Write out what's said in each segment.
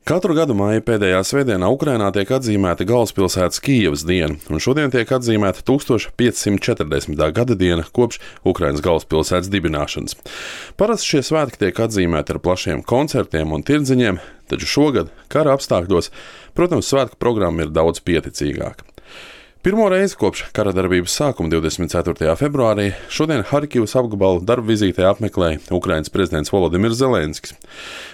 Katru gadu māja pēdējā svētdienā Ukrainā tiek atzīmēta galvaspilsētas Kijevas diena, un šodien tiek atzīmēta 1540. gada diena kopš Ukrainas galvaspilsētas dibināšanas. Parasti šie svētki tiek atzīmēti ar plašiem koncertiem un tirdziņiem, taču šogad, kara apstākļos, protams, svētku programma ir daudz pieticīgāka. Pirmo reizi kopš kara darbības sākuma 24. februārī šodien Harkivas apgabalu darba vizītē apmeklēja Ukrainas prezidents Volodimirs Zelenskis.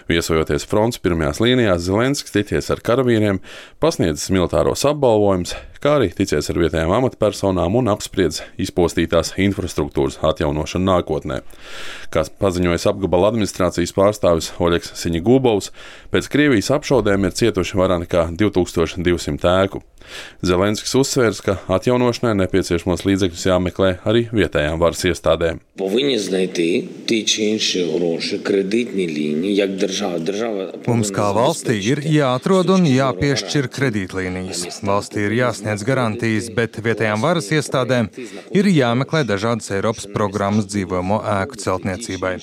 Viesojoties frontes pirmajās līnijās, Zelenskis ticies ar karavīriem, pasniedzis militāros apbalvojumus, kā arī ticies ar vietējām amatpersonām un apspriedis izpostītās infrastruktūras atjaunošanu nākotnē. Kā paziņojis apgabala administrācijas pārstāvis Oļegs Siņigūbovs, pēc Krievijas apšaudēm ir cietuši vairāk nekā 2200 ēku. Zelenskis uzsvērs, ka atjaunošanai nepieciešamos līdzekļus jāmeklē arī vietējām varas iestādēm. Mums kā valstī ir jāatrod un jāpiešķir kredītlīnijas. Valstī ir jāsniedz garantijas, bet vietējām varas iestādēm ir jāmeklē dažādas Eiropas programmas dzīvojamo ēku celtniecībai.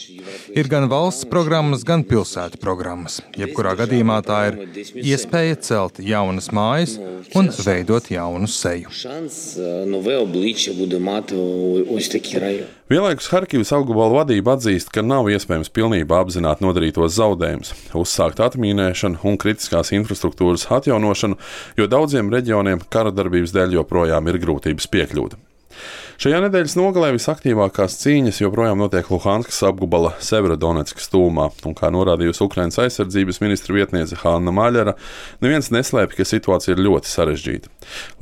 Ir gan valsts programmas, gan pilsētu programmas. Jebkurā gadījumā tā ir iespēja celt jaunas mājas un veidot jaunu seju. Vienlaikus Harkivas apgabala vadība atzīst, ka nav iespējams pilnībā apzināt nodarītos zaudējumus, uzsākt atmīnēšanu un kritiskās infrastruktūras atjaunošanu, jo daudziem reģioniem kara darbības dēļ joprojām ir grūtības piekļūt. Šajā nedēļas nogalē visaktīvākās cīņas joprojām notiek Luhanskas apgabala Severodonetskas tūmā, un kā norādījusi Ukrainas aizsardzības ministra vietniece Hanna Maļara, neviens neslēpj, ka situācija ir ļoti sarežģīta.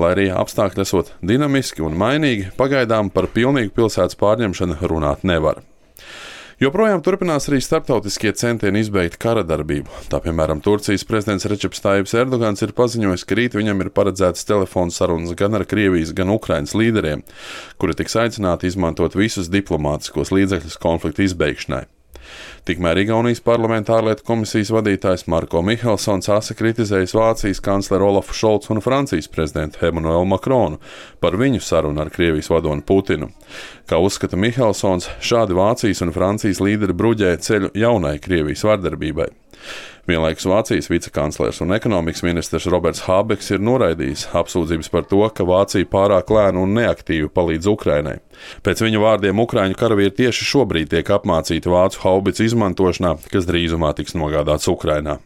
Lai arī apstākļi esot dinamiski un mainīgi, pagaidām par pilnīgu pilsētas pārņemšanu runāt nevar. Joprojām turpinās arī starptautiskie centieni izbeigt kara darbību. Tā, piemēram, Turcijas prezidents Rečeps Tajibs Erdogans ir paziņojis, ka rīt viņam ir paredzētas telefonu sarunas gan ar Krievijas, gan Ukrainas līderiem, kuri tiks aicināti izmantot visus diplomātiskos līdzekļus konflikta izbeigšanai. Tikmēr Igaunijas parlamenta ārlietu komisijas vadītājs Marko Mihelsons asa kritizējis Vācijas kancleru Olafu Šolcu un Francijas prezidentu Emanuelu Makronu par viņu sarunu ar Krievijas vadoni Putinu. Kā uzskata Mihelsons, šādi Vācijas un Francijas līderi bruģē ceļu jaunai Krievijas vardarbībai. Vienlaikus Vācijas vicekanclers un ekonomikas ministrs Roberts Hābeks ir noraidījis apsūdzības par to, ka Vācija pārāk lēni un neaktīvi palīdz Ukrainai. Pēc viņa vārdiem ukraiņu karavīri tieši šobrīd tiek apmācīti vācu haubicu izmantošanā, kas drīzumā tiks nogādāts Ukrainā.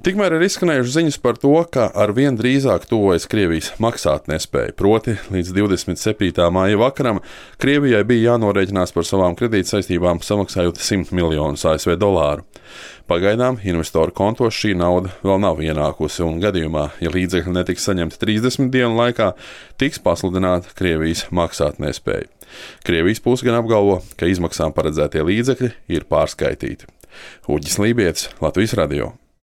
Tikmēr ir izskanējušas ziņas par to, ka arvien drīzāk tuvojas Krievijas maksātnespēja, proti līdz 27. māja vakaram Krievijai bija jānorēķinās par savām kredītsaistībām, samaksājot $100 miljonus ASV. Pagaidām investoru kontos šī nauda vēl nav ienākusi, un gadījumā, ja līdzekļi netiks saņemti 30 dienu laikā, tiks pasludināta Krievijas maksātnespēja. Krievijas puse gan apgalvo, ka izmaksām paredzētie līdzekļi ir pārskaitīti. Uģis Lībietis, Latvijas radio.